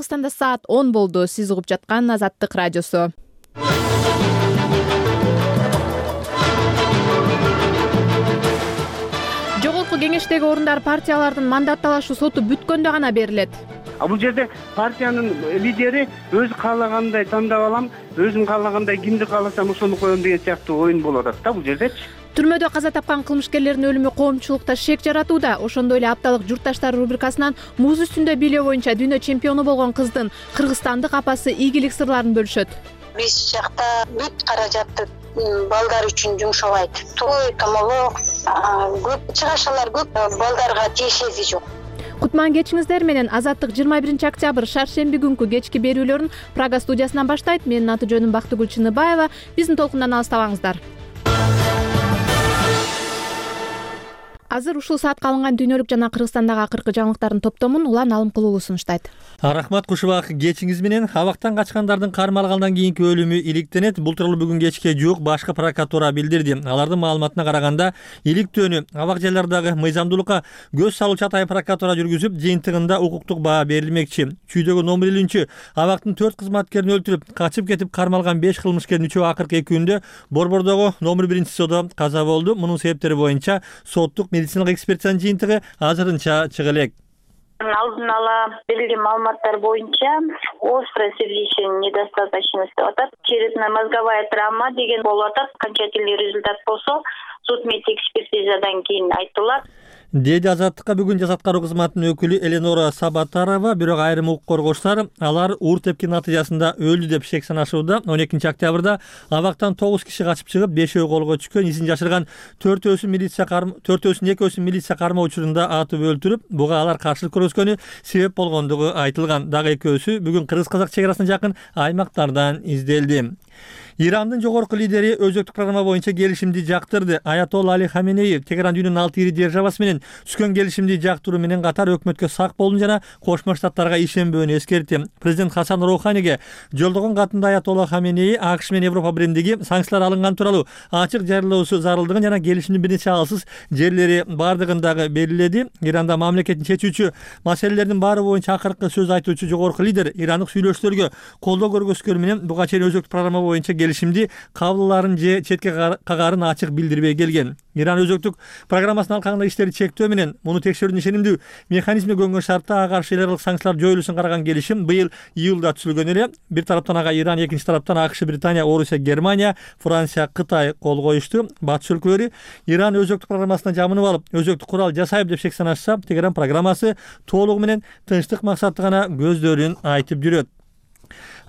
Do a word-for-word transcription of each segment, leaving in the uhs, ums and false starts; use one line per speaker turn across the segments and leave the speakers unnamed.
Кыргызстанда саат он болду. Сиз угуп жаткан Азаттык радиосу. Жогорку кеңештеги орундар партиялардын мандат талашы соту бүткөндө гана берилет.
А бул жерде партиянын лидери өзү каалагандай тандап алам, өзүм каалагандай кимди кааласам ошону коем деген сыяктуу оюн болуп атат да бул жердечи.
Түрмөдө каза тапкан кылмышкерлердин өлүмү коомчулукта шек жаратууда. Ошондой эле апталык журтташтар рубрикасынан муз үстүндө бийлөө боюнча дүйнө чемпиону болгон кыздын кыргызстандык апасы ийгилик сырларын бөлүшөт.
Биз жакта бүт каражатты балдар үчүн жумшабайт. Той, томолок, көп чыгашалар көп, балдарга тиешеси жок.
Кутман кечиңиздер менен Азаттык жыйырма биринчи октябрь шаршемби күнкү кечки берүүлөрүн Прага студиясынан баштайт. Менин аты жөнүм Бактыгүл Чыныбаева. Биздин толкундан алыстабаңыздар. Азыр ушул саатка алынган дүйнөлүк жана Кыргызстандагы акыркы жаңылыктардын топтомун Улан Алымкулуулу сунуштайт.
Рахмат Кушубак, кечиңиз менен абактан качкандардын кармалгандан кийинки өлүмү иликтенет. Бул тууралуу бүгүн кечке жуук башкы прокуратура билдирди. Алардын маалыматына караганда, иликтөөнү абак жайлардагы мыйзамдуулукка көз салуучу атайын прокуратура жүргүзүп, жыйынтыгында укуктук баа берилмекчи. Чүйдөгү номер элүүнчү абактын төрт кызматкерин өлтүрүп, качып кетип кармалган беш кылмышкердин үчөө акыркы эки күндө Борбордогу номер биринчи СОдо каза болду. Мунун себептери боюнча соттук медициналык экспертизанын жыйынтыгы азырынча чыга элек.
Алдын ала берилген маалыматтар боюнча острая сердечная недостаточность деп атат. Черепно-мозговая травма деген болуп атат. Окончательный результат болсо суд медэкспертизадан кийин айтылат.
Деди Азаттыкка бүгүн Жас аткаруу кызматынын өкүлү Эленора Сабатарова. Бирок айрым укук коргоочулар алар уур тепки натыйжасында өлдү деп шек санашууда. он экинчи октябрда абактан тогуз киши качып чыгып, бешөө колго түшкөн, изин жашырган төртөөсүн милиция карма төртөөсүн экөөсүн милиция кармоо учурунда атып өлтүрүп, буга алар каршылык көрсөткөнү себеп болгондугу айтылган. Дагы экөөсү бүгүн кыргыз-казак чек арасына жакын аймактардан изделди. Ирандын жогорку лидери өзөктүк программа боюнча келишимди жактырды. Аятолла Али Хаменеи Тегеран дүйнөнүн алты ири державасы менен түзгөн келишимди жактыруу менен катар өкмөткө сак болуун жана Кошмо Штаттарга ишенбөөнү эскертти. Президент Хасан Роуханиге жолдогон катында Аятолла Хаменеи АКШ менен Европа биримдиги санкциялар алынган тууралуу ачык жарыялоосу зарылдыгын жана келишимдин бир нече алсыз жерлери бардыгын дагы белгиледи. Иранда мамлекеттин чечүүчү маселелердин баары боюнча акыркы сөз айтуучу жогорку лидер ирандык сүйлөшүүлөргө колдоо көргөзгөнү менен буга чейин өзөктүк программа боюнча келишимди кабылларын же четке кагаарын ачык билдирбей келген. Иран өзөктүк программасынын алкагында иштери чектөө менен муну текшерүүнүн ишенимдүү механизми көнгөн шартта ага каршы эл аралык санкциялар жоюлушун караган келишим быйыл июлда түзүлгөн эле. Бир тараптан ага Иран, экинчи тараптан АКШ, Британия, Орусия, Германия, Франция, Кытай кол коюшту. Батыш өлкөлөрү Иран өзөктүк программасына жамынып алып, өзөктүк курал жасайбы деп шек санашса, Тегеран программасы толугу менен тынчтык максатты гана көздөрүн айтып жүрөт.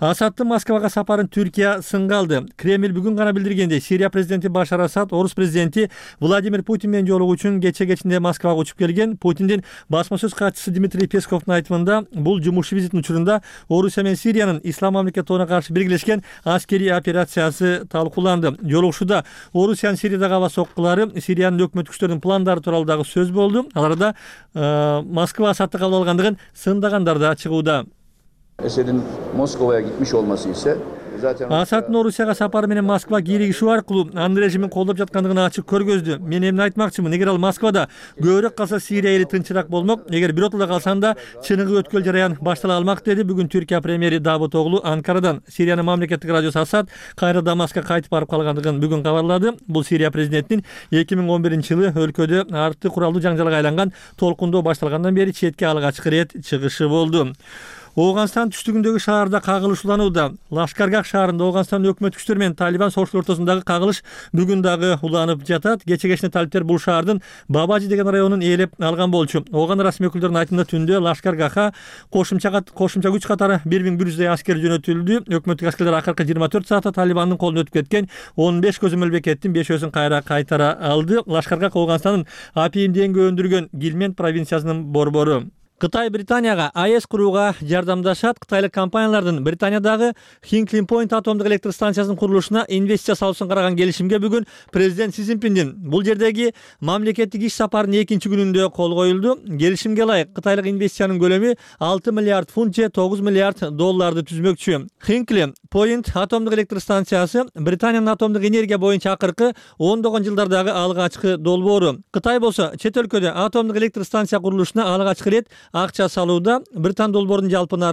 Асаддын Москвага сапарын Түркия сынга алды. Кремль бүгүн гана билдиргендей, Сирия президенти Башар Асад орус президенти Владимир Путин менен жолугуу үчүн кече кечинде Москвага учуп келген. Путиндин басма сөз катчысы Дмитрий Песковдун айтымында, бул жумуш визитинин учурунда Орусия менен Сириянын Ислам мамлекети тобуна каршы биргелешкен аскерий операциясы талкууланды. Жолугушууда Орусиянын Сириядагы аба соккулары, Сириянын өкмөт күчтөрүнүн пландары тууралуу дагы сөз болду. Аларда Москва Асадды кабыл алгандыгын сындагандар да чыгууда.
Esed'in Moskova'ya gitmiş olması ise
Асаддын Орусияга сапары менен Москва кииригишүү аркылуу анын режимин колдоп жаткандыгын ачык көргөздү. Мен эмне айтмакчымын, эгер ал Москвада көбүрөөк калса Сирия эли тынчыраак болмок, эгер биротоло калсанда чыныгы өткөл жараян баштала алмак, деди бүгүн Түркия премьери Давутоглу Анкарадан. Сириянын мамлекеттик радиосу Асад кайра Дамаскка кайтып барып калгандыгын бүгүн кабарлады. Бул Сирия президентинин эки миң он биринчи жылы өлкөдө арты куралдуу жаңжалга айланган толкундоо башталгандан бери четке алгачкы ирет чыгышы болду. Оогунстан түштүгүндөгү шаарда кагылыш уланууда. Лашкаргах шаарында Оогунстандын өкмөт күчтөрү менен Талибан согуштун ортосундагы кагылыш бүгүн дагы уланып жатат. Кече кечине талиптер бул шаардын Бабажи деген районун ээлеп алган болчу. Ооган расмий өкүлдөрүнүн айтымында түндө Лашкаргаха кошумча кошумча күч катары бир миң бир жүздөй аскер жөнөтүлдү. Өкмөттүк аскерлер акыркы жыйырма төрт саатта Талибандын колуна өтүп кеткен он беш көзөмөл бекеттин бешөөсүн кайра кайтара алды. Лашкаргах Оогунстандын апийимденге өндүргөн Гилмент провинциясынын борбору. Кытай Британияга АЭС курууга жардамдашат. Кытайлык компаниялардын Британиядагы Hinkley Point атомдук электр станциясынын курулушуна инвестиция салуусун караган келишимге бүгүн президент Си Цзиньпиндин бул жердеги мамлекеттик иш сапарынын экинчи күнүндө кол коюлду. Келишимге ылайык Кытайлык инвестициянын көлөмү алты миллиард фунт же тогуз миллиард долларды түзмөкчү. Hinkley Point атомдук электр станциясы Британиянын атомдук энергия боюнча акыркы ондогон жылдардагы алгачкы долбоору. Кытай болсо чет өлкөдө атомдук электр станция курулушуна алгачкы ирет акча салууда. Британ долбоорунун жалпы наркы